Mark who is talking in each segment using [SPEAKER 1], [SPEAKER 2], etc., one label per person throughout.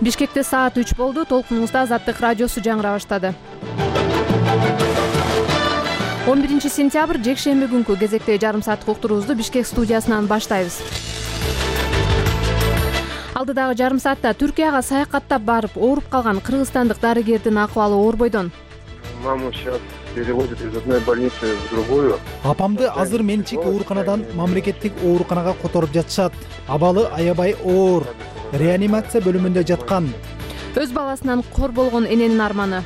[SPEAKER 1] Бишкекте саат 3 болду. Толкунуңузда Азаттык радиосу жаңыра баштады. 11-сентябрь жекшемби күнкү кезекте жарым сааттык уктуруубузду Бишкек студиясынан баштайбыз. Алдыдагы жарым саатта Түркияга саякаттап барып ооруп калган кыргызстандык дарыгердин акыбалы оор бойдон.
[SPEAKER 2] Маму сейчас переводят из одной больницы в другую.
[SPEAKER 3] Апамды азыр менчик ооруканадан мамлекеттик ооруканага которуп жатышат. Абалы аябай оор. Реанимация бөлүмүндө жаткан.
[SPEAKER 1] Өз баласынан кор болгон эненин арманы.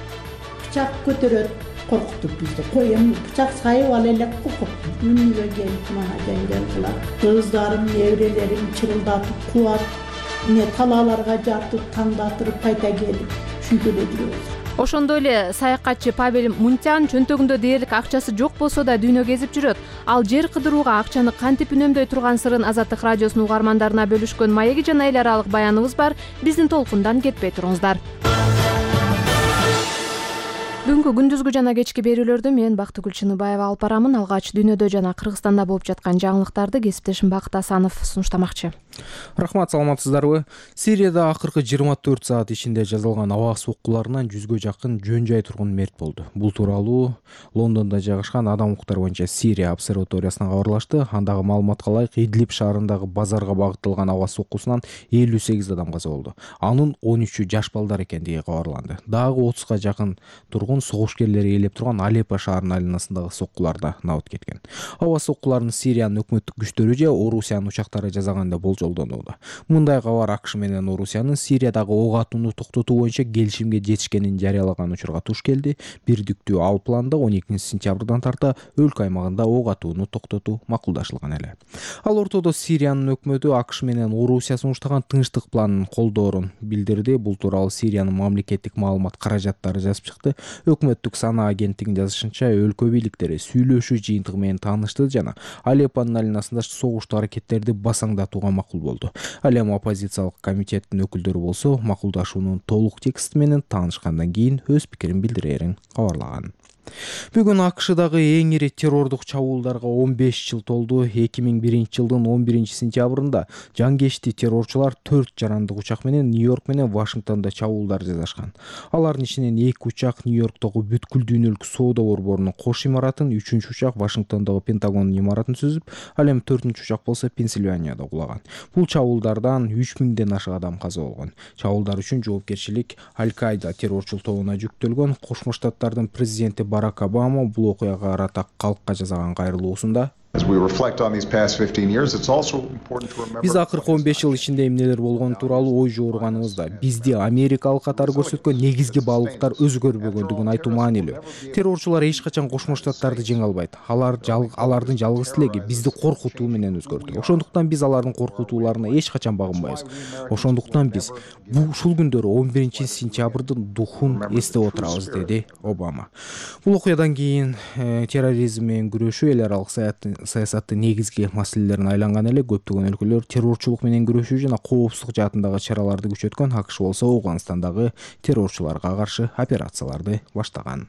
[SPEAKER 4] Бычак көтөрөт, коркутуп бизди. Коем бычак сайып ал элек коркутту. Үнүгө келип мага жеңгел кылат. Кыздарым, неберелерим чырылдатып кубат. Талааларга жатып, таңдатырып кайта келип, ушинтип эле жүрөбүз.
[SPEAKER 1] Ошондой эле саякатчы Павел Мунтян чөнтөгүндө дээрлик акчасы жок болсо да дүйнө кезип жүрөт. Ал жер кыдырууга акчаны кантип үнөмдөй турган сырын Азаттык радиосунун угармандарына бөлүшкөн маеги жана эл аралык баяныбыз бар. Биздин толкундан кетпей туруңуздар. Бүгүнкү күндүзгү жана кечки берүүлөрдү мен Бактыгүл Чыныбаева алып барамын. Алгач дүйнөдө жана Кыргызстанда болуп жаткан жаңылыктарды кесиптешим Бакыт Асанов сунуштамакчы.
[SPEAKER 5] Рахмат, саламатсыздарбы? Сирияда акыркы 24 саат ичинде жазылган аба соккуларынан 100гө жакын жөн жай тургун мерт болду. Бул тууралуу Лондондо жайгашкан Адам укуктары боюнча Сирия обсерваториясынан кабарлашты. Андагы маалыматка ылайык Идлиб шаарындагы базарга багытталган аба соккусунан 58 адам каза болду. Анын 13-ü жаш балдар экендиги кабарланды. Дагы 30га жакын тургун согушкерлери ээлеп турган Алеппо шаарынын айланасындагы соккуларда набыт кеткен. Аба соккуларын Сириянын өкмөттүк күчтөрү же Орусиянын учактары жасаган деп болжолдонууда. Мындай кабар АКШ менен Орусиянын Сириядагы ок атууну токтотуу боюнча келишимге жетишкенин жарыялаган учурга туш келди. Бирдиктүү ал планда 12-сентябрдан тарта өлкө аймагында ок атууну токтотуу макулдашылган эле. Ал ортодо Сириянын өкмөтү АКШ менен Орусия сунуштаган тынчтык планын колдоорун билдирди. Бул тууралуу Сириянын мамлекеттик маалымат каражаттары жазып чыкты. Өкмөттүк сана агенттигинин жазышынча, өлкө бийликтери сүйлөшүү жыйынтыгы менен таанышты жана Алеппонун айланасында согуштуу аракеттерди басаңдатууга макул болду. Ал эми оппозициялык комитеттин өкүлдөрү болсо макулдашуунун толук тексти менен таанышкандан кийин өз пикирин билдирерин кабарлаган. Бүгүн АКШдагы эң ири террордук чабуулдарга 15 жыл толду. 2001 жылдын 11-сентябрында жангечти террорчулар 4 жарандык учак менен Нью-Йорк менен Вашингтондо чабуулдар жасашкан. Алардын ичинен 2 учак Нью-Йорктогу бүткүл дүйнөлүк соода борборунун кош имаратын, 3-үчү учак Вашингтондогу Пентагондун имаратын сүзүп, ал эми 4-үчү учак болсо Пенсильванияда кулаган. Бул чабуулдардан 3000ден ашык адам каза болгон. Чабуулдар үчүн жоопкерчилик Аль-Каида террорчул тобуна жүктөлгөн. Кошмо Штаттардын президенти Барак Обама бул окуяга карата калкка жасаган кайрылуусунда биз акыркы 15 жыл ичинде эмнелер болгону тууралуу ой жооруганыбызда бизди Америкалык катары көрсөткөн негизги баалуулуктар өзгөрбөгөндүгүн айтуу маанилүү. Террорчулар эч качан Кошмо Штаттарды жеңе албайт. Алардын жалгыз тилеги бизди коркутуу менен өзгөртүү. Ошондуктан биз алардын коркутууларына эч качан багынбайбыз. Ошондуктан биз ушул күндөрү 11-сентябрдын духун эстеп отурабыз, деди Обама. Бул окуядан кийин терроризм менен күрөшүү эл аралык саясаттын негизги маселелерине айланган эле. Көптөгөн өлкөлөр террорчулук менен күрөшүү жана коопсуздук жаатындагы чараларды күчөткөн. АКШ болсо Ауганстандагы террорчуларга каршы операцияларды баштаган.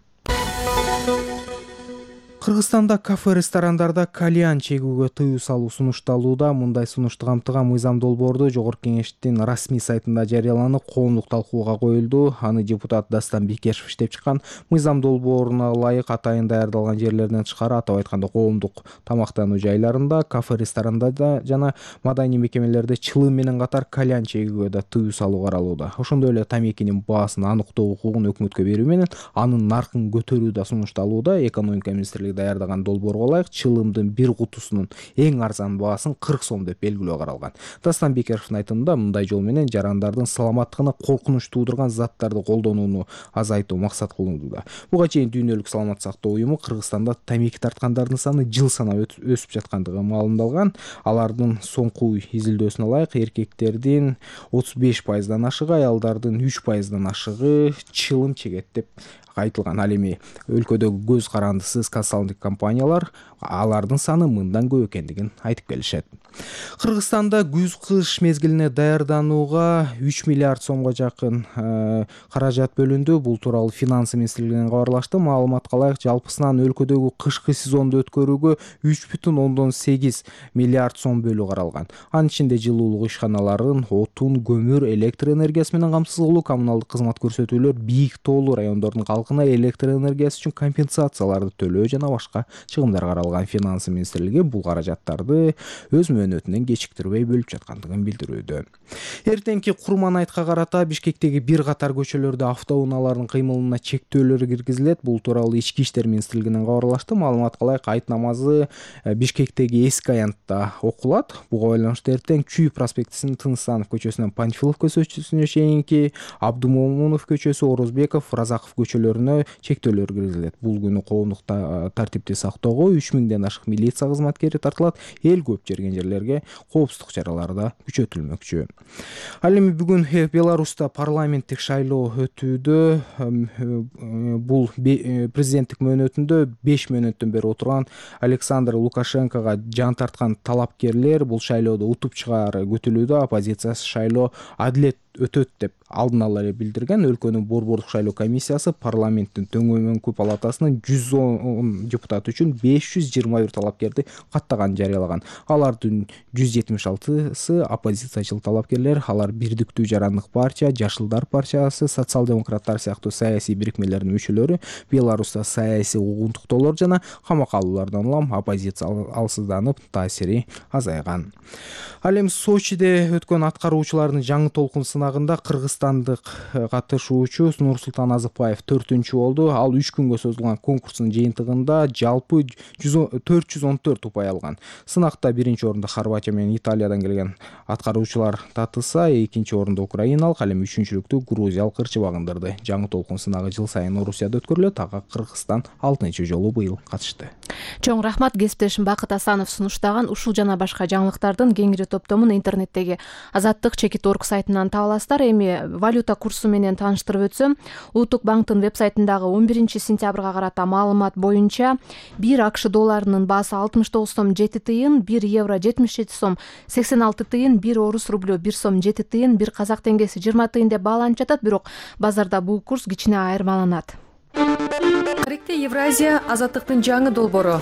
[SPEAKER 5] Кыргызстанда кафе-ресторандарда кальян чегүүгө тыюу салуу сунушталууда. Мындай сунушту камтыган мыйзам долбоорду Жогорку Кеңештин расмий сайтында жарыяланып, коомдук талкууга коюлду. Аны депутат Дастан Бекешев иштеп чыккан. Мыйзам долбооруна ылайык атайын даярдалган жерлерден тышкары, атап айтканда коомдук тамактануу жайларында, кафе-ресторандарда жана маданий мекемелерде чылым менен катар кальян чегүүгө да тыюу салуу каралууда. Ошондой эле тамекинин баасын аныктоо укугун өкмөткө берүү менен анын наркын көтөрүү да сунушталууда. Экономика министрлиги даярдаган долбоорго ылайык чылымдын бир кутусунун эң арзан баасын 40 сом деп белгилөө каралган. Дастан Бекешевдин айтымында, мындай жол менен жарандардын саламаттыгына коркунуч туудурган заттарды колдонууну азайтуу максат кылынууда. Буга чейин дүйнөлүк саламат сактоо уюму Кыргызстанда тамеки тарткандардын саны жыл санап өсүп жаткандыгы маалымдалган. Алардын соңку изилдөөсүнө ылайык эркектердин 35%дан ашыгы, аялдардын 3%дан ашыгы чылым чегет деп айтылган. Ал эми өлкөдөгү көз карандысыз консалтинг компаниялар алардын саны мындан көп экендигин айтып келишет. Кыргызстанда күз-кыш мезгилине даярданууга 3 миллиард сомго жакын каражат бөлүндү. Бул тууралуу Финансы министрлигинен кабарлашты. Маалыматка ылайык, жалпысынан өлкөдөгү кышкы сезонду өткөрүүгө 3,8 миллиард сом бөлүү каралган. Анын ичинде жылуулук ишканаларын отун, көмүр, электр энергиясы менен камсыз кылуу, коммуналдык кызмат көрсөтүүлөр, бийик тоолуу райондордун калкына электр энергиясы үчүн компенсацияларды төлөө жана башка чыгымдар каралган. Финансы министрлиги бул каражаттарды өз мөөнөтүнөн кечиктирбей бөлүп жаткандыгын билдирүүдө. Эртеңки Курман айтка карата Бишкектеги бир катар көчөлөрдө автоунаалардын кыймылына чектөөлөр киргизилет. Бул тууралуу Ички иштер министрлигинен кабарлашты. Маалыматка ылайык, айт намазы Бишкектеги эски аянтта окулат. Буга байланыштуу эртең Чүй проспектисинин Тыныстанов көчөсүнөн Панфилов көчөсүнө чейинки Абдумомунов көчөсү, Орозбеков, Разаков көчөлөрүнө чектөөлөр киргизилет. Бул күнү коомдук тартипти сактоого 3000ден ашык милиция кызматкери тартылат. Эл көп жерген жерлерге коопсуздук чаралары да күчөтүлмөкчү. Ал эми бүгүн Беларуста парламенттик шайлоо өтүүдө. Бул президенттик мөөнөтүндө 5 мөөнөттөн бери отурган Александр Лукашенкога жан тарткан талапкерлер бул шайлоодо утуп чыгаары күтүлүүдө. Оппозициясы шайлоо адилет өтөт деп алдын ала эле билдирген. Өлкөнүн борбордук шайлоо комиссиясы парламенттин төмөнкү палатасынын 110 депутаты үчүн 521 талапкерди каттаганын жарыялаган. Алардын 176сы оппозициячыл талапкерлер. Алар Бирдиктүү жарандык партия, Жашылдар партиясы, социал-демократтар сыяктуу саясий бирикмелердин мүчөлөрү. Беларуста саясий угунтуктоолор жана камакка алуулардан улам оппозиция алсызданып, таасири азайган. Ал эми Сочиде өткөн аткаруучулардын жаңы толкун сынагында кыргызстандык катышуучу Нурсултан Азыкбаев 4-чү болду. Ал 3 күнгө созулган конкурстун жыйынтыгында жалпы 414 упай алган. Сынакта 1-чи орунда Хорватия менен Италиядан келген аткаруучулар татыса, 2-чи орунда украиналык, ал эми 3-чүлүктү грузиялык ырчы багындырды. Жаңы толкун сынагы жыл сайын Орусияда өткөрүлөт. Ага Кыргызстан 6-чы жолу быйыл катышты.
[SPEAKER 1] Чоң рахмат. Кесиптешим Бакыт Асанов сунуштаган ушул жана башка жаңылыктардын кеңири топтомун интернеттеги Азаттык.org сайтынан таба аласыздар. Эми валюта курсу менен тааныштырып өтсөм, Улуттук банктын веб-сайтындагы 11-сентябрга карата маалымат боюнча 1 АКШ долларынын баасы 69 сом 7 тыйын, 1 евро 77 сом 86 тыйын, 1 орус рублю 1 сом 7 тыйын, 1 казак теңгеси 20 тыйын деп бааланып жатат. Бирок базарда бул курс кичине айырмаланат.
[SPEAKER 6] Тарихте Евразия азаттыктын жаңы долбоору.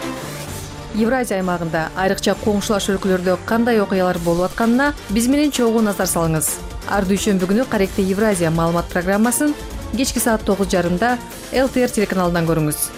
[SPEAKER 6] Евразия аймагында айрыкча коңшулаш өлкөлөрдө кандай окуялар болуп атканына биз менен чогуу назар салыңыз. Ар дүйшөмбү күнү Каректе Евразия маалымат программасын кечки саат 9:30 ЛТР телеканалынан көрүңүз.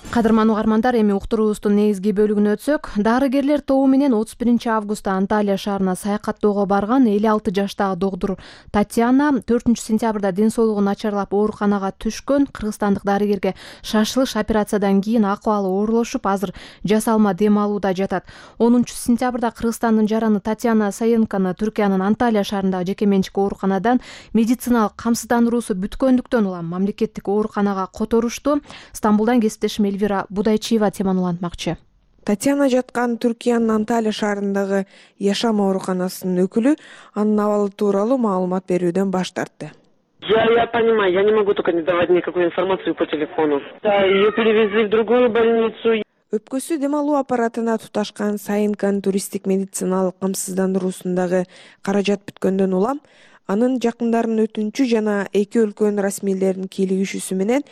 [SPEAKER 1] Кадырман угармандар, эми уктуруубуздун негизги бөлүгүнө өтсөк, дарыгерлер тобу менен 31 августта Анталия шаарына саякаттоого барган 56 жаштагы доктур Татьяна 4 сентябрда ден соолугу начарлап ооруканага түшкөн. Кыргызстандык дарыгерге шашылыш операциядан кийин акыбалы оорлошуп, азыр жасалма дем алууда жатат. 10 сентябрда Кыргызстандын жараны Татьяна Саенканы Түркиянын Анталия шаарындагы жеке менчик ооруканадан медициналык камсыздандыруусу бүткөндүктөн улам мамлекеттик ооруканага которушту. Стамбулдан кесиптешим Элвира Будайчиева теманы улантмакчы.
[SPEAKER 7] Татьяна жаткан Түркиянын Анталия шаарындагы Яшам ооруканасынын өкүлү анын абалы тууралуу маалымат берүүдөн баш тартты.
[SPEAKER 8] Я понимаю, я не могу только не давать никакую информацию по телефону. Да, ее перевезли в другую больницу.
[SPEAKER 7] Өпкөсү дем алуу аппаратына туташкан Саенканын туристтик медициналык камсыздандыруусундагы каражат бүткөндөн улам анын жакындарынын өтүнчү жана эки өлкөнүн расмийлеринин кийлигишүүсү менен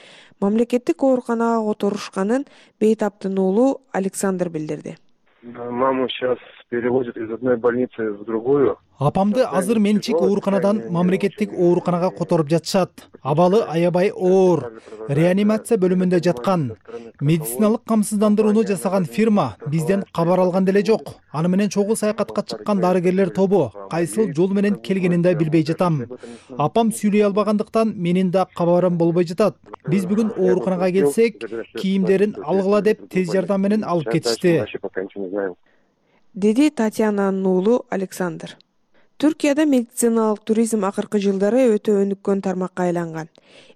[SPEAKER 7] мамлекеттик ооруканага которушканын бейтаптын уулу Александр билдирди.
[SPEAKER 2] Маму сейчас перевозят из одной больницы в другую.
[SPEAKER 3] Апамды азыр менчик ооруканадан мамлекеттик ооруканага которуп жатышат. Абалы аябай оор. Реанимация бөлүмүндө жаткан. Медициналык камсыздандырууну жасаган фирма бизден кабар алган деле жок. Аны менен чогуу саякатка чыккан дарыгерлер тобу кайсыл жол менен келгенин да билбей жатам. Апам сүйлөй албагандыктан менин да кабарым болбой жатат. Биз бүгүн ооруканага келсек, кийимдерин алгыла деп тез жардам менен алып кетишти,
[SPEAKER 7] деди Татьянанын уулу Александр. Түркияда медициналык туризм акыркы жылдары өтө өнүккөн тармакка айланган.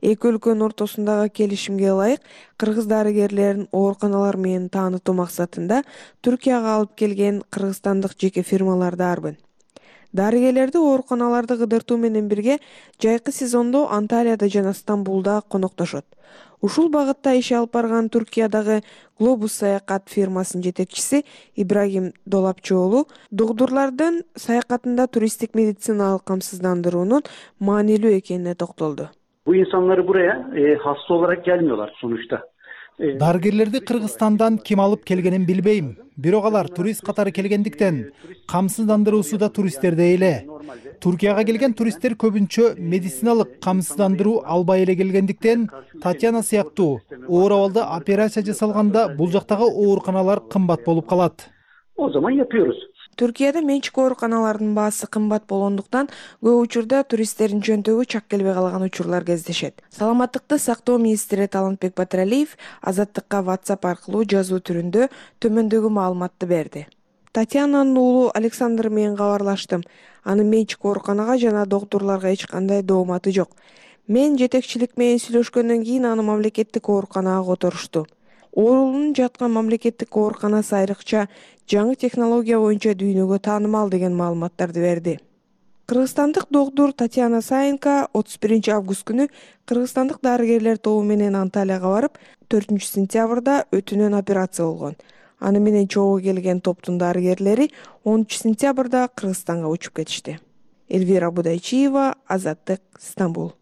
[SPEAKER 7] Эки өлкөнүн ортосундагы келишимге ылайык кыргыз дарыгерлерин ооруканалар менен таанытуу максатында Түркияга алып келген кыргызстандык жеке фирмалар да арбын. Дарыгерлерди ооруканаларды кыдыртуу менен бирге жайкы сезондо Анталияда жана Стамбулда коноктошот. Ушул багытта иш алып барган Түркиядагы Глобус саякат фирмасынын жетекчиси Ибрагим Долапчоолу догдурлардын саякатында туристтик медициналык камсыздандыруунун маанилүү экенине токтолду.
[SPEAKER 9] Bu insanları buraya hasta olarak gelmiyorlar sonuçta.
[SPEAKER 3] Дарыгерлерди Кыргызстандан ким алып келгенин билбейм. Бирок алар турист катары келгендиктен камсыздандыруусу да туристтердей эле. Туркияга келген туристтер көбүнчө медициналык камсыздандыруу албай эле келгендиктен Татьяна сыяктуу оор абалда операция жасалганда бул жактагы ооруканалар кымбат болуп калат.
[SPEAKER 9] O zaman yapıyoruz.
[SPEAKER 7] Түркияда менчик ооруканалардын баасы кымбат болгондуктан көп учурда туристтердин жөнтөгү чак келбей калган учурлар кездешет. Саламаттыкты сактоо министри Талантбек Батыралиев Азаттыкка WhatsApp аркылуу жазуу түрүндө төмөндөгү маалыматты берди. Татьянанын уулу Александр менен кабарлаштым. Анын менчик ооруканага жана доктурларга эч кандай дооматы жок. Мен жетекчилик менен сүйлөшкөндөн кийин аны мамлекеттик ооруканага которушту. Оорунун жаткан мамлекеттик ооруканасы айрыкча жаңы технология боюнча дүйнөгө таанымал деген маалыматтарды берди. Кыргызстандык доктур Татьяна Саенко 31 август күнү кыргызстандык дарыгерлер тобу менен Анталияга барып, 4 сентябрда өтүнөн операция болгон. Аны менен чогуу келген топтун дарыгерлери 10 сентябрда Кыргызстанга учуп кетишти. Элвира Будайчиева, Азаттык, Стамбул.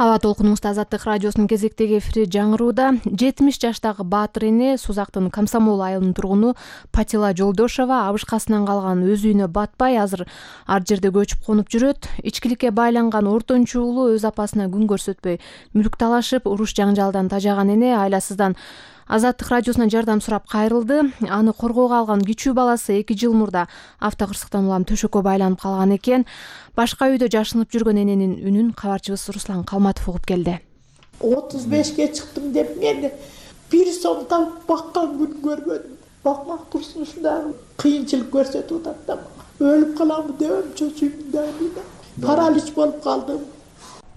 [SPEAKER 1] Аба толкунубузда Азаттык радиосунун кезектеги эфири жаңырууда. 70 жаштагы Баатыр эне Сузактын Комсомол айылынын тургуну Патила Жолдошова абышкасынан калган өз үйүнө батпай азыр ар жерде көчүп конуп жүрөт. Ичкиликке байланган ортончу уулу өз апасына күн көрсөтпөй мүлк талашып, уруш жаңжалдан тажаган эне айласыздан Азаттык радиосунан жардам сурап кайрылды. Аны коргоого алган кичүү баласы 2 жыл мурда автокырсыктан улам төшөккө байланып калган экен. Башка үйдө жашынып жүргөн эненин үнүн кабарчыбыз Руслан Калматов угуп келди.
[SPEAKER 4] 35ке чыктым деп мени 1 сом табып баккан күн көргөнүм. Бакмак турсун ушундай кыйынчылык көрсөтүп атат да. Өлүп каламбы деп чөчүмдө. Паралич болуп калдым.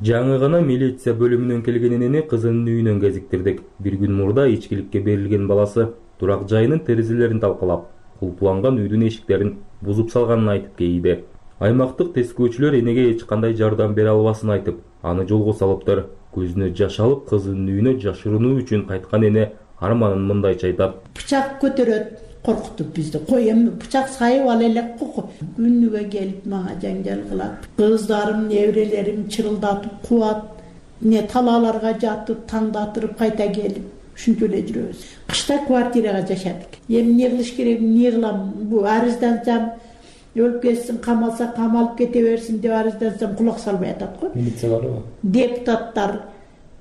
[SPEAKER 10] Жаңы гана милиция бөлүмүнөн келген энени кызынын үйүнөн кезиктирдик. Bir күн мурда ичкиликке берилген баласы турак жайынын терезелерин талкалап, кулпуланган үйдүн эшиктерин бузуп салганын айтып кейиди. Аймактык тескөөчүлөр энеге эч кандай жардам бере албасын айтып, аны жолго салыптыр. Көзүнө жаш алып, кызынын үйүнө жашырынуу үчүн кайткан эне арманын мындайча айтат.
[SPEAKER 4] Бычак көтөрөт, коркутуп бизди. Кой эми бычак сайып ал элек кок. Күнүгө келип мага жаңжал кылат. Кыздарым, неберелерим чырылдатып куат. Не талааларга жатып, таңдатырып кайта келип, ушинтип эле жүрөбүз. Кышта квартирага жашадык. Эми эмне кылыш керек, эмне кылам? Бу арыздансам өлүп кетсин, камалса камалып кете берсин деп арыздансам кулак салбай атат го.
[SPEAKER 10] Милиция барбы?
[SPEAKER 4] Депутаттар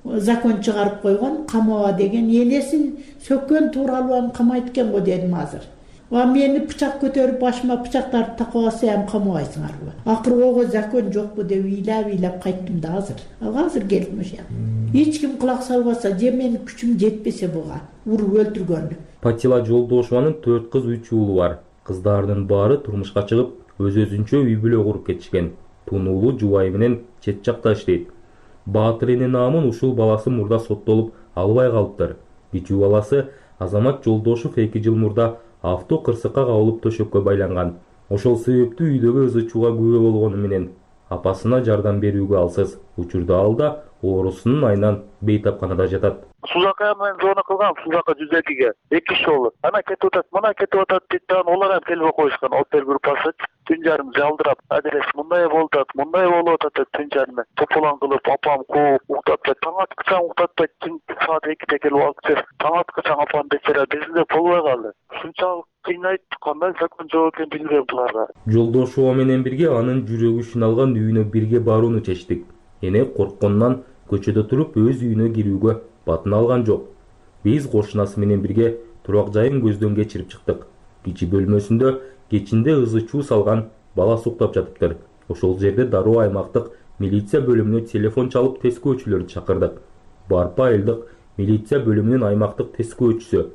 [SPEAKER 4] закон чыгарып койгон, камаба деген. Энесин сөккөн тууралуу камайт экен го дедим азыр. Ва мени бычак көтөрүп башыма бычактарды такып алса эми камабайсыңарбы? Акыры ого закон жокпу деп ыйлап кайттым да азыр. Азыр келдим ошо. Эч ким кулак салбаса, же менин күчүм жетпесе буга уруп өлтүргөнү.
[SPEAKER 10] Патила Жолдошованын 4 кыз 3 уулу бар. Кыздарынын баары турмушка чыгып, өз-өзүнчө үй бүлө куруп кетишкен. Тунуулу жубайы менен чет жакта иштейт. Баатыр эне наамын ушул баласы мурда соттолуп албай калыптыр. Кичүү баласы Азамат Жолдошов 2 жыл мурда авто кырсыкка кабылып төшөккө байланган. Ошол себептүү үйдөгү ызы-чууга күбө болгону менен апасына жардам берүүгө алсыз. Учурда ал да оорусунун айынан бейтапканада жатат.
[SPEAKER 2] Сузакка мен зона кылгам, Сузакка 102ге 2 жолу. Ана кетип атат, мына кетип атат дейт да, олар ham телефон коюшкан. Опер группасы түн жарым жалдырап, адрес мындай болуп атат, түн жарым. Тополан кылып, апам кууп, уктатпайт. Таң аткыча уктатпайт, түн саат 2де келип алып келип, таң аткыча апам бечара бизде болбой калды. Ушунчалык кыйнайт, кандай закон жок экенин билбейм буларга.
[SPEAKER 10] Жолдошова менен бирге анын жүрөгү үчүн алган үйүнө бирге барууну чечтик. Эне корккондон көчөдө туруп өз үйүнө кирүүгө батын алган жок. Биз кошунасы менен бирге турак жайын көздөн кечирип чыктык. Кичи бөлмөсүндө кечинде ызы-чуу салган бала суктап жатыптыр. Ошол жерде дароо аймактык милиция бөлүмүнө телефон чалып тескөөчүлөрдү чакырдык. Барпа айылдык милиция бөлүмүнүн аймактык тескөөчүсү,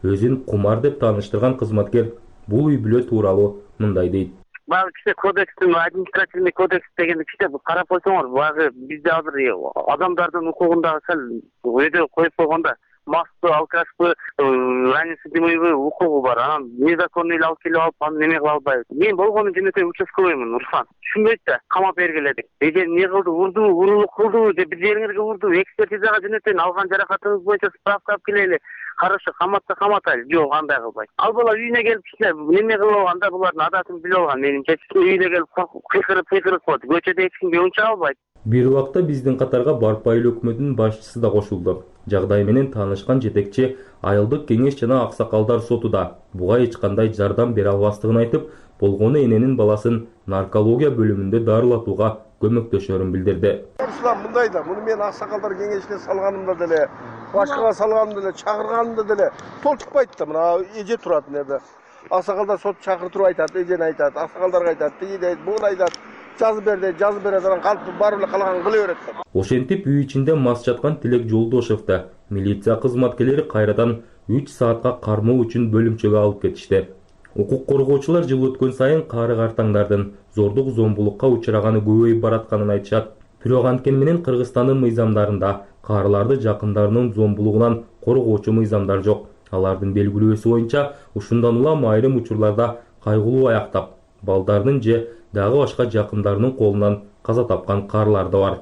[SPEAKER 10] өзүн Кумар деп тааныштырган кызматкер бул үй бүлө тууралуу мындай дейт.
[SPEAKER 8] Багы кичи кодекстин, административный кодекс деген кичи карап койсоңор, багы бизде азыр адамдардын укугундагы сал өйдө коюп койгондо мастпы, алкашпы, раннесудимыйбы укугу бар. Анан незаконный эле алып келип алып, аны неме кыла албайбыз. Мен болгону жөнөкөй участковыймын, Руслан. Түшүнбөйт да, камап бергиле деп. Эже эмне кылды, урду, урулук кылды деп бир жериңерге урду, экспертизага жөнөтөйүн, алган жаракатыңыз боюнча справка алып келели. Хорошо, каматса каматайлы. Жок, андай кылбайт. Ал бала үйүнө келип кичине неме кылып алганда булардын адатын билип алган. Менимче үйүнө келип кыйкырып коет. Көчөдө эч кимге унча албайт.
[SPEAKER 10] Бир убакта биздин катарга Барпа айыл өкмөтүнүн башчысы да кошулду. Жагдай менен таанышкан жетекчи айылдык кеңеш жана аксакалдар сотуда буга эч кандай жардам бере албастыгын айтып, болгону эненин баласын наркология бөлүмүндө дарылатууга көмөктөшөрүн билдирди.
[SPEAKER 11] Руслан мындай да, муну мен аксакалдар кеңешине салганымда деле, башкага салганымда деле, чакырганымда деле толтукпайт да. Мына эже турат мына. Аксакалдар сот чакыртып айтат, эжени айтат, аксакалдарга айтат, тиги дейт, буну айтат. Жазып берет, анан калп барып эле калаган кыла берет.
[SPEAKER 10] Ошентип үй ичинде мас жаткан Тилек Жолдошевди милиция кызматкерлери кайрадан 3 саатка кармоо үчүн бөлүмчөгө алып кетишти. Укук коргоочулар жыл өткөн сайын кары картаңдардын зордук зомбулукка учураганы көбөйүп баратканын айтышат. Бирок анткени менен Кыргызстандын мыйзамдарында карыларды жакындарынын зомбулугунан коргоочу мыйзамдар жок. Алардын белгилөөсү боюнча ушундан улам айрым учурларда кайгылуу аяктап, балдардын же дагы башка жакындарынын колунан каза тапкан карылар да бар.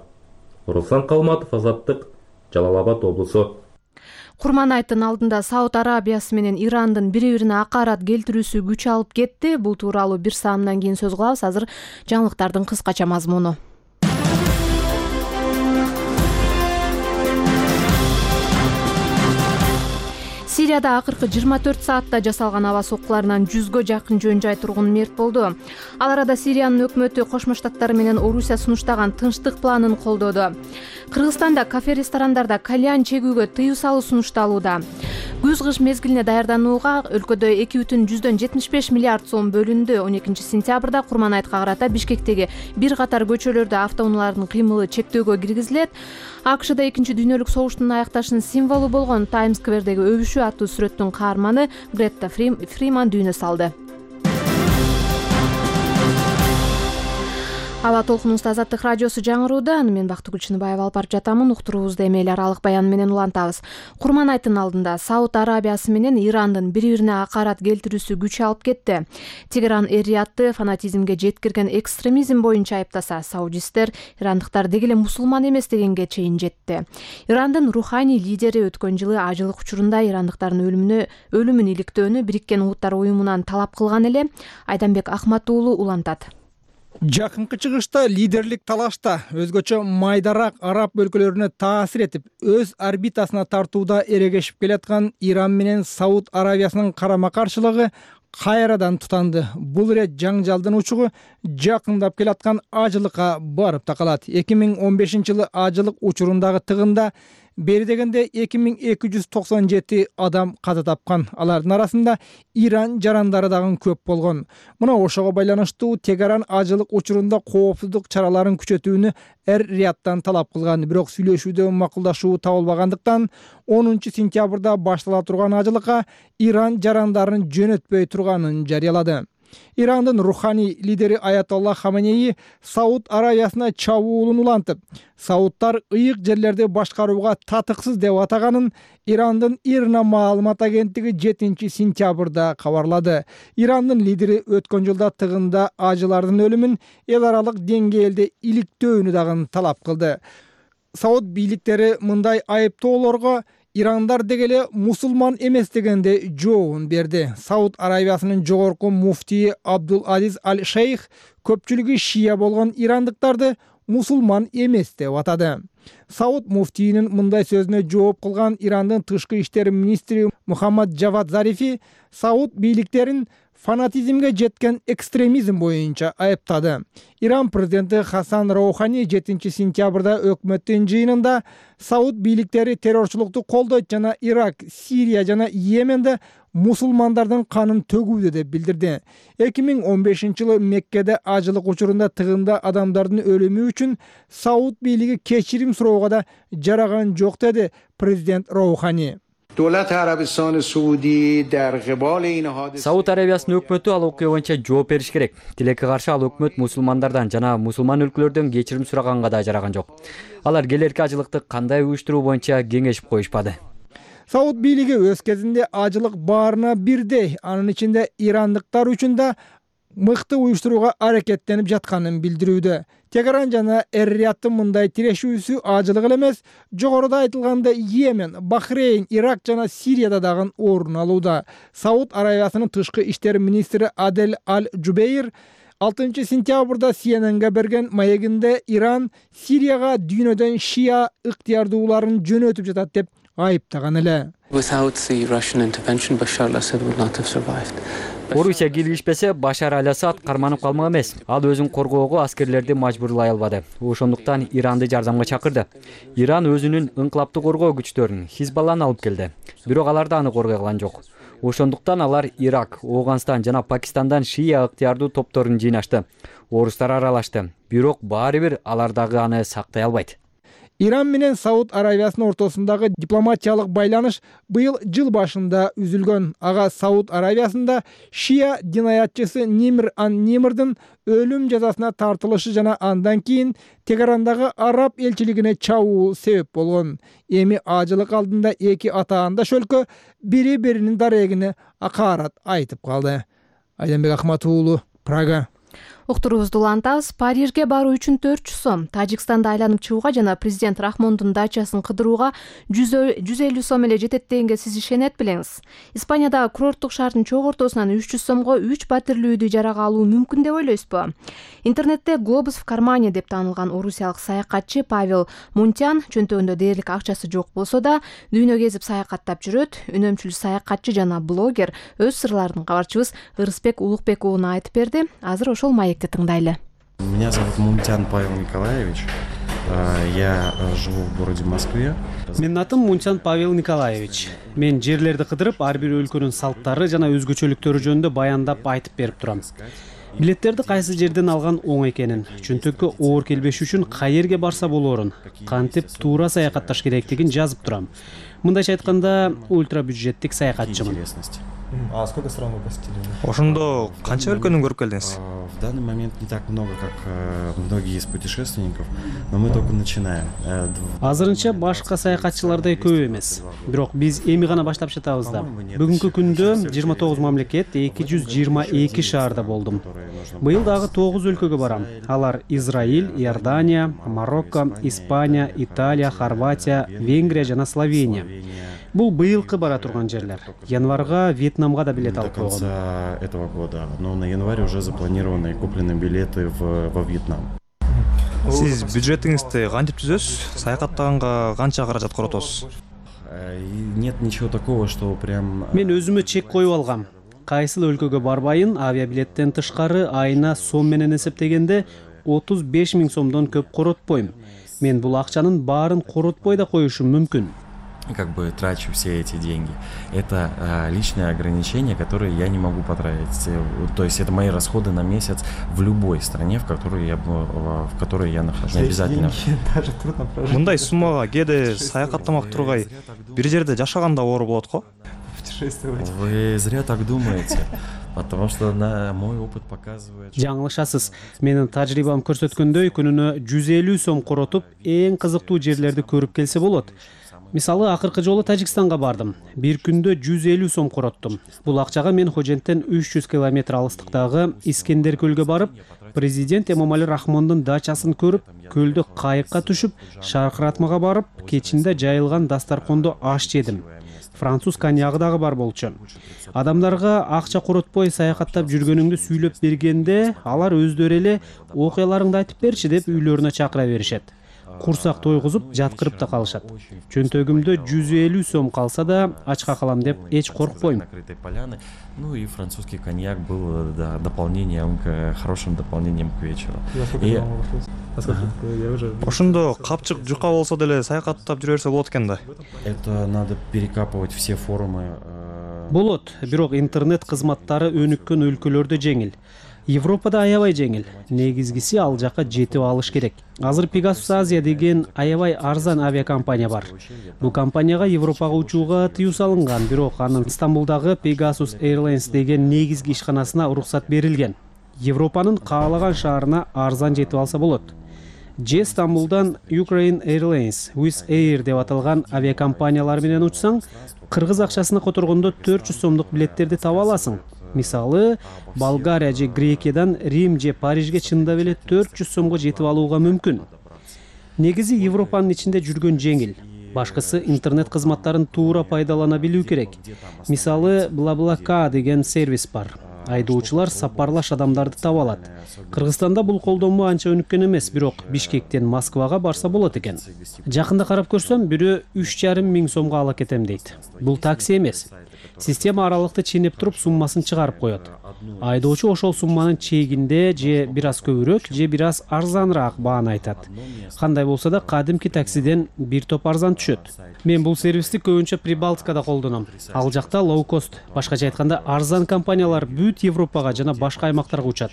[SPEAKER 10] Руслан Калматов, Азаттык, Жалал Абад облусу.
[SPEAKER 1] Курманайттын алдында Сауд Арабиясы менен Ирандын бири-бирине акарат келтирүүсү күч алып кетти. Бул тууралуу бир саамдан кийин сөз кылабыз. Азыр жаңылыктардын кыскача мазмуну. Сирияда акыркы 24 саатта жасалган аба соккуларынан 100гө жакын жөн жай тургун мерт болду. Ал арада Сириянын өкмөтү Кошмо Штаттар менен Орусия сунуштаган тынчтык планын колдоду. Кыргызстанда кафе-ресторандарда кальян чегүүгө тыюу салуу сунушталууда. Күз-кыш мезгилине даярданууга өлкөдө 2,75 миллиард сом бөлүндү. 12 сентябрда Курманайтка карата Бишкектеги бир катар көчөлөрдө автоунаалардын кыймылы чектөөгө киргизилет. АКШда 2 дүйнөлүк согуштун аякташынын символу болгон Таймс-сквердеги өбүшүү аттуу сүрөттүн каарманы Гретта Фриман дүйнө салды. Аба толкунубузда Азаттык радиосу жаңырууда. Аны мен Бактыгүл Чыныбаева алып барып жатамын. Уктуруубузду эми эл аралык баян менен улантабыз. Курманайттын алдында Сауд Арабиясы менен Ирандын бири-бирине акарат келтирүүсү күч алып кетти. Тегеран Эр-Риядты фанатизмге жеткирген экстремизм боюнча айыптаса, саудисттер ирандыктар деги эле мусулман эмес дегенге чейин жетти. Ирандын руханий лидери өткөн жылы ажылык учурунда ирандыктардын өлүмүн иликтөөнү Бириккен Улуттар уюмунан талап кылган эле. Айданбек Ахмат уулу улантат.
[SPEAKER 3] Жакынкы чыгышта лидерлик талашта өзгөчө майдарак араб өлкөлөрүнө таасир этип, өз орбитасына тартууда эрегешип келаткан Иран менен Сауд Арабиясынын карама-каршылыгы кайрадан тутанды. Бул ирет жаңжалдын учугу жакындап келаткан ажылыкка барып такалат. 2015-жылы ажылык учурундагы тыгында бери дегенде 2297 адам каза тапкан. Алардын арасында Иран жарандары дагы көп болгон. Мына ошого байланыштуу Тегеран ажылык учурунда коопсуздук чараларын күчөтүүнү Эр-Риядтан талап кылган. Бирок сүйлөшүүдө макулдашуу табылбагандыктан 10 сентябрда баштала турган ажылыкка Иран жарандарын жөнөтпөй турганын жарыялады. Ирандын руханий лидери Аятолла Хаменеи Сауд Арабиясына чабуулун улантып, саудтар ыйык жерлерди башкарууга татыксыз деп атаганын Ирандын ИРНА маалымат агенттиги 7 сентябрда кабарлады. Ирандын лидери өткөн жылда тыгында ажылардын өлүмүн эл аралык деңгээлде иликтөөнү дагы талап кылды. Сауд бийликтери мындай айыптоолорго Ирандар дегеле мусулман эмес дегенде жообун берди. Сауд Арабиясынын жогорку муфтии Абдул Азиз Аль-Шейх көпчүлүгү шия болгон ирандыктарды мусулман эмес деп атады. Сауд муфтийинин мындай сөзүнө жооп кылган Ирандын тышкы иштер министри Мухаммад Джавад Зарифи Сауд бийликтерин фанатизмге жеткен экстремизм боюнча айыптады. Иран президенти Хасан Роухани 7 сентябрда өкмөттүн жыйынында Сауд бийликтери террорчулукту колдойт жана Ирак, Сирия жана Йеменде мусулмандардын канын төгүүдө деп билдирди. 2015-жылы Меккеде ажылык учурунда тыгында адамдардын өлүмү үчүн Сауд бийлиги кечирим суроого да жараган жок деди президент Роухани.
[SPEAKER 12] Сауд Арабиясынын өкмөтү ал окуя боюнча жооп бериш керек. Тилекке каршы ал өкмөт мусулмандардан жана мусулман өлкөлөрдөн кечирим сураганга да жараган жок. Алар келерки ажылыкты кандай уюштуруу боюнча кеңешип коюшпады.
[SPEAKER 3] Сауд бийлиги өз кезинде ажылык баарына бирдей, анын ичинде ирандыктар үчүн да мыкты уюштурууга аракеттенип жатканын билдирүүдө. Тегеран жана Эр-Рияттын мындай тирешүүсү ажылык эле эмес, жогоруда айтылгандай Йемен, Бахрейн, Ирак жана Сирияда дагы орун алууда. Сауд Аравиясынын тышкы иштер министри Адель Аль-Джубейр 6 сентябрда CNN-ге берген маегинде Иран Сирияга дүйнөдөн шия ыктыярдууларын жөнөтүп жатат деп айыптаган эле.
[SPEAKER 12] Орусия киргизбесе Башар Аль-Асад карманып калмак эмес. Ал өзүн коргоого аскерлерди мажбурлай албады. Ошондуктан Иранды жардамга чакырды. Иран өзүнүн инкылаптык коргоо күчтөрүн Хизбалланы алып келди. Бирок алар да аны коргой алган жок. Ошондуктан алар Ирак, Ооганстан жана Пакистандан шия ыктыярдуу топторун жыйнашты. Орустар аралашты. Бирок баары бир алар дагы аны сактай албайт.
[SPEAKER 3] Иран менен Сауд Аравиясынын ортосундагы дипломатиялык байланыш быйыл жыл башында үзүлгөн. Ага Сауд Аравиясында шия динаятчысы Нимр ан-Нимрдин өлүм жазасына тартылышы жана андан кийин Тегерандагы араб элчилигине чабуу себеп болгон. Эми ажылык алдында эки атаандаш өлкө бири-биринин дарегине акаарат айтып калды. Айданбек Ахматов уулу, Прага.
[SPEAKER 1] Уктуруубузду улантабыз. Парижге баруу үчүн 400 сом, Тажикстанды айланып чыгууга жана президент Рахмондун дачасын кыдырууга 150 сом эле жетет дегенге сиз ишенет белеңиз. Испаниядагы курорттук шаардын чок ортосунан 300 сомго 3 батирлүү үйдү жарага алуу мүмкүн деп ойлойсузбу? Интернетте Глобус в кармане деп таанылган орусиялык саякатчы Павел Мунтян чөнтөгүндө дээрлик акчасы жок болсо да дүйнө кезип саякаттап жүрөт. Үнөмчүл саякатчы жана блогер өз сырларын кабарчыбыз Ырысбек Улукбек ууна айтып берди. Азыр ошол маекти тыңдайлы.
[SPEAKER 13] Меня зовут Мунтян Павел Николаевич. Я живу в городе Москве.
[SPEAKER 14] Менин атым Мунтян Павел Николаевич. Мен жерлерди кыдырып, ар бир өлкөнүн салттары жана өзгөчөлүктөрү жөнүндө баяндап айтып берип турам. Билеттерди кайсы жерден алган оң экенин, чөнтөккө оор келбеш үчүн каерге барса болоорун, кантип туура саякатташ керектигин жазып турам. Мындайча айтканда, ультра бюджеттик саякатчымын.
[SPEAKER 15] А сколько стран вы посетили? Ошондо канча өлкөнү көрүп келдиңиз?
[SPEAKER 13] В данный момент не так много, как многие из путешественников, но мы только начинаем.
[SPEAKER 14] Азырынча башка саякатчылардай көп эмес. Бирок биз эми гана баштап жатабыз да. Бүгүнкү күндө 29 мамлекет, 222 шаарда болдум. Быйыл дагы 9 өлкөгө барам. Алар Израиль, Иордания, Марокко, Испания, Италия, Хорватия, Венгрия жана Словения. Бул быйылкы бара турган жерлер. Январга Вьетнамга да билет алып койгон.
[SPEAKER 13] До конца этого года, но на январь уже запланированы и куплены билеты во Вьетнам.
[SPEAKER 15] Сиз бюджетиңизди кантип түзөсүз? Саякаттаганга канча каражат коротосуз?
[SPEAKER 13] Нет ничего такого, что прям.
[SPEAKER 14] Мен өзүмө чек коюп алгам. Кайсыл өлкөгө барбайын, авиабилеттен тышкары айына сом менен эсептегенде 35 000 сомдон көп коротпойм. Мен бул акчанын баарын коротпой да коюшум мүмкүн.
[SPEAKER 13] Как бы трачу все эти деньги. Это личные ограничения, которые я не могу потратить. То есть это мои расходы на месяц в любой стране, в которой я нахожусь. Не обязательно.
[SPEAKER 15] Даже трудно прожить. Мындай суммага кээде саякаттамак тургай бир жерде жашаганда оор болот го? Путешествовать.
[SPEAKER 13] Вы зря так думаете. Потому что мой опыт показывает.
[SPEAKER 14] Жаңылышасыз. Менин тажрыйбам көрсөткөндөй, күнүнө 150 сом коротуп, эң кызыктуу жерлерди көрүп келсе болот. Мисалы, акыркы жолу Тажикстанга бардым. Бир күндө 150 сом короттум. Бул акчага мен Хоженттен 300 километр алыстыктагы Искендер көлгө барып, президент Эмомали Рахмондун дачасын көрүп, көлдө кайыкка түшүп, шаркыратмага барып, кечинде жайылган дастаркондо аш жедим. Француз коньягы дагы бар болчу. Адамдарга акча коротпой саякаттап жүргөнүңдү сүйлөп бергенде, алар өздөрү эле окуяларыңды айтып берчи деп үйлөрүнө чакыра беришет. Курсак тойгузуп жаткырып да калышат. Чөнтөгүмдө 150 сом калса да ачка калам деп эч коркпойм.
[SPEAKER 13] Ну и французский коньяк был дополнением, хорошим дополнением к вечеру.
[SPEAKER 15] Ошондо капчык жука болсо деле саякаттап жүрө берсе болот экен да.
[SPEAKER 13] Это надо перекапывать все форумы.
[SPEAKER 14] Болот, бирок интернет кызматтары өнүккөн өлкөлөрдө жеңил. Европада аябай жеңил. Негизгиси ал жака жетип алыш керек. Азыр Pegasus Asia деген аябай арзан авиакомпания бар. Бул компанияга Европага учууга тыюу салынган, бирок анын Стамбулдагы Pegasus Airlines деген негизги ишканасына уруксат берилген. Европанын каалаган шаарына арзан жетип алса болот. же Стамбулдан Ukraine Airlines, Wizz Air деп аталган авиакомпаниялар менен учсаң, кыргыз акчасына которгондо 400 сомдук билеттерди таба аласың. Мисалы, Болгария же Грекиядан Рим же Парижге чындап эле 400 сомго жетип алууга мүмкүн. Негизи Европанын ичинде жүргөн жеңил. Башкысы интернет кызматтарын туура пайдалана билүү керек. Мисалы, BlaBlaCar деген сервис бар. Айдоочулар сапарлаш адамдарды таба алат. Кыргызстанда бул колдонмо анча өнүккөн эмес, бирок Бишкектен Москвага барса болот экен. Жакында карап көрсөм, бирөө 3,5 миң сомго ала кетем дейт. Бул такси эмес. Система аралыкты ченеп туруп суммасын чыгарып коет. Айдоочу ошол сумманын чегинде же бир аз көбүрөөк, же бир аз арзаныраак бааны айтат. Кандай болсо да кадимки таксиден бир топ арзан түшөт. Мен бул сервисти көбүнчө Прибалтикада колдоном. Ал жакта лоу-кост, башкача айтканда арзан компаниялар бүт Европага жана башка аймактарга учат.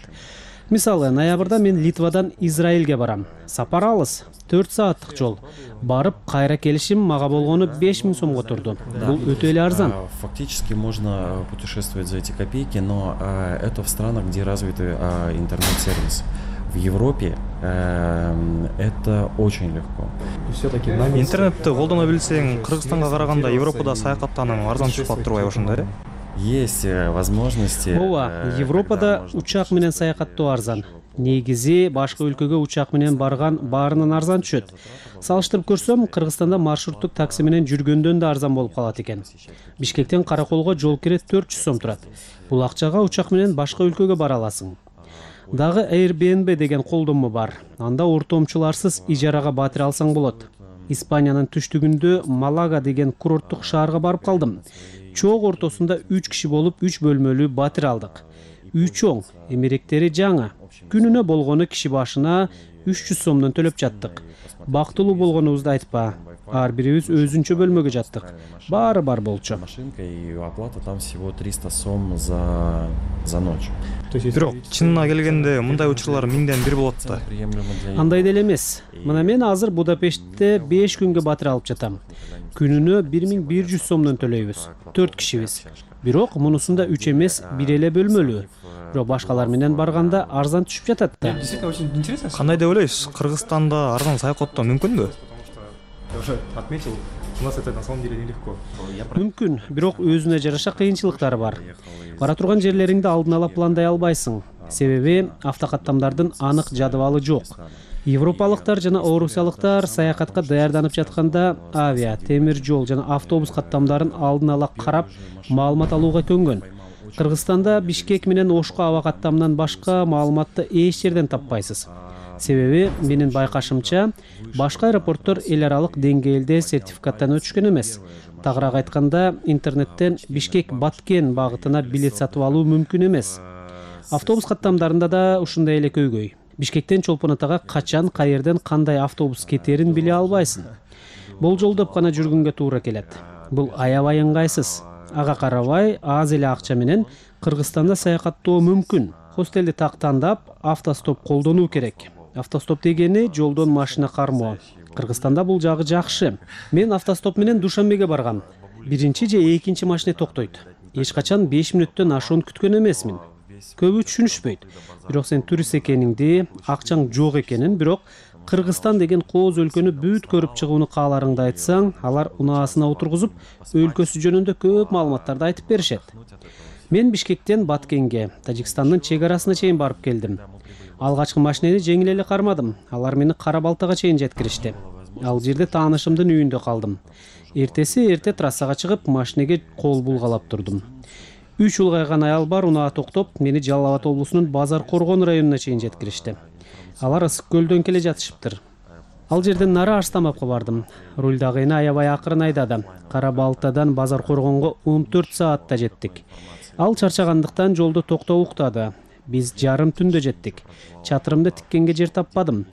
[SPEAKER 14] Мисалы, ноябрда мен Литвадан Израилге барам. Сапар алыс, 4 сааттык жол. Барып, кайра келишим мага болгону 5 миң сомго турду. Бул өтө эле арзан.
[SPEAKER 13] Фактически можно путешествовать за эти копейки, но это в странах, где развиты интернет-сервис. В Европе это очень легко.
[SPEAKER 15] Все-таки интернетти колдоно билсең, Кыргызстанга караганда Европада саякаттануу арзан түшүп калып турбайбы ошондой?
[SPEAKER 13] Есть возможности.
[SPEAKER 14] Ооба, Европада учак менен саякаттоо арзан. Негизи башка өлкөгө учак менен барган баарынан арзан түшөт. Салыштырып көрсөм, Кыргызстанда маршруттук такси менен жүргөндөн да арзан болуп калат экен. Бишкектен Караколго жол кире 400 сом турат. Бул акчага учак менен башка өлкөгө бара аласың. Дагы Airbnb деген колдонмо бар. Анда ортомчуларсыз ижарага батир алсаң болот. Испаниянын түштүгүндө Малага деген курорттук шаарга барып калдым. Чоң ортосунда 3 киши болуп 3 бөлмөлүү батир алдык. Үй чоң, эмеректери жаңа. Күнүнө болгону киши башына 300 сомдон төлөп жаттык. Бактылуу болгонубузду айтпа. Ар бирибиз өзүнчө бөлмөгө жаттык. Баары бар болчу.
[SPEAKER 13] Машинка и оплата там всего 300 сом за ночь.
[SPEAKER 15] Бирок чынына келгенде мындай учурлар миңден бир болот да.
[SPEAKER 14] Андай деле эмес. Мына мен азыр Будапештте 5 күнгө батир алып жатам. Күнүнө 1100 сомдон төлөйбүз. 4 кишибиз. Бирок мунусунда 3 эмес, бир эле бөлмөлүү. Бирок башкалар менен барганда арзан түшүп жатат да.
[SPEAKER 15] Кандай деп ойлойсуз? Кыргызстанда арзан саякаттоо мүмкүнбү? Отметил, у нас это на самом деле нелегко.
[SPEAKER 14] Мүмкүн, бирок өзүнө жараша кыйынчылыктары бар. Бара турган жерлериңди алдын ала пландай албайсың. Себеби автокаттамдардын анык жадыбалы жок. Европалыктар жана орусиялыктар саякатка даярданып жатканда авиа, темир жол жана автобус каттамдарын алдын ала карап, маалымат алууга көнгөн. Кыргызстанда Бишкек менен Ошко аба каттамынан башка маалыматты эч жерден таппайсыз. Себеби менин байкашымча, башка аэропорттор эл аралык деңгээлде сертификаттан өтүшкөн эмес. Тагыраак айтканда, интернеттен Бишкек-Баткен багытына билет сатып алуу мүмкүн эмес. Автобус каттамдарында да ушундай эле көйгөй. Бишкектен Чолпон Атага качан, каерден кандай автобус кетерин биле албайсың. Болжолдоп гана жүргөнгө туура келет. Бул аябай ыңгайсыз. Ага карабай, аз эле акча менен Кыргызстанда саякаттоо мүмкүн. Хостелди так тандап, автостоп колдонуу керек. Автостоп дегени жолдон машина кармоо. Кыргызстанда бул жагы жакшы. Мен автостоп менен Душанбеге баргам. Биринчи же экинчи машина токтойт. Эч качан 5 мүнөттөн ашуун күткөн эмесмин. Көбү түшүнүшпөйт. Бирок сен турист экениңди, акчаң жок экенин, бирок Кыргызстан деген кооз өлкөнү бүт көрүп чыгууну кааларыңды айтсаң, алар унаасына отургузуп, өлкөсү жөнүндө көп маалыматтарды айтып беришет. Мен Бишкектен Баткенге, Тажикстандын чек арасына чейин барып келдим. Алгачкы машинени жеңил эле кармадым. Алар мени Кара Балтага чейин жеткиришти. Ал жерде таанышымдын үйүндө калдым. Эрте трассага чыгып, машинеге кол булгалап турдум. 3 улгайган аял бар унаа токтоп, мени Жалал Абад облусунун Базар Коргон районуна чейин жеткиришти. Алар Ысык көлдөн келе жатышыптыр. Ал жерден нары Арстамапка бардым. Рулдагы эне аябай акырын айдады. Кара Балтадан Базар Коргонго 14 саатта жеттик. Ал чарчагандыктан жолдо токтоп уктады. Биз жарым түндө жеттик. Чатырымды тиккенге жер таппадым.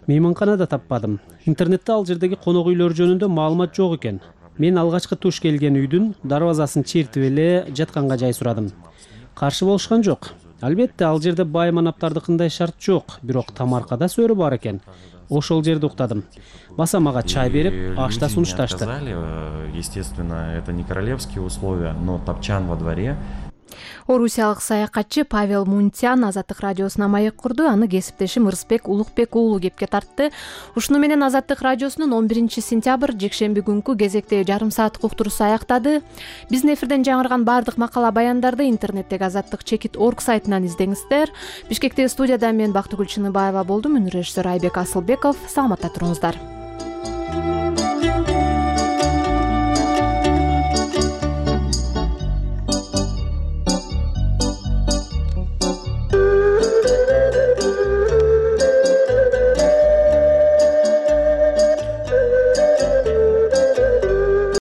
[SPEAKER 14] Мейманкана да таппадым. Интернетте ал жердеги конок үйлөр жөнүндө маалымат жок экен. Мен алгачкы туш келген үйдүн дарбазасын чертип эле жатканга жай сурадым. Каршы болушкан жок. Албетте, ал жерде бай манаптардыкындай шарт жок, бирок тамаркада сөрү бар экен. Ошол жерде уктадым. Баса мага чай берип, аш да сунушташты.
[SPEAKER 13] Естественно, это не королевские условия, но топчан во дворе.
[SPEAKER 1] Орусиялык саякатчы Павел Мунтян Азаттык радиосуна маек курду. Аны кесиптешим Ырысбек Улукбек уулу кепке тартты. Ушуну менен Азаттык радиосунун 11-сентябрь жекшемби күнкү кезектеги жарым сааттык уктуруусу аяктады. Биздин эфирден жаңырган баардык макала баяндарды интернеттеги azattik.org сайтынан издеңиздер. Бишкектеги студияда мен Бактыгүл Чыныбаева болдум. Режиссер Айбек Асылбеков. Саламатта туруңуздар.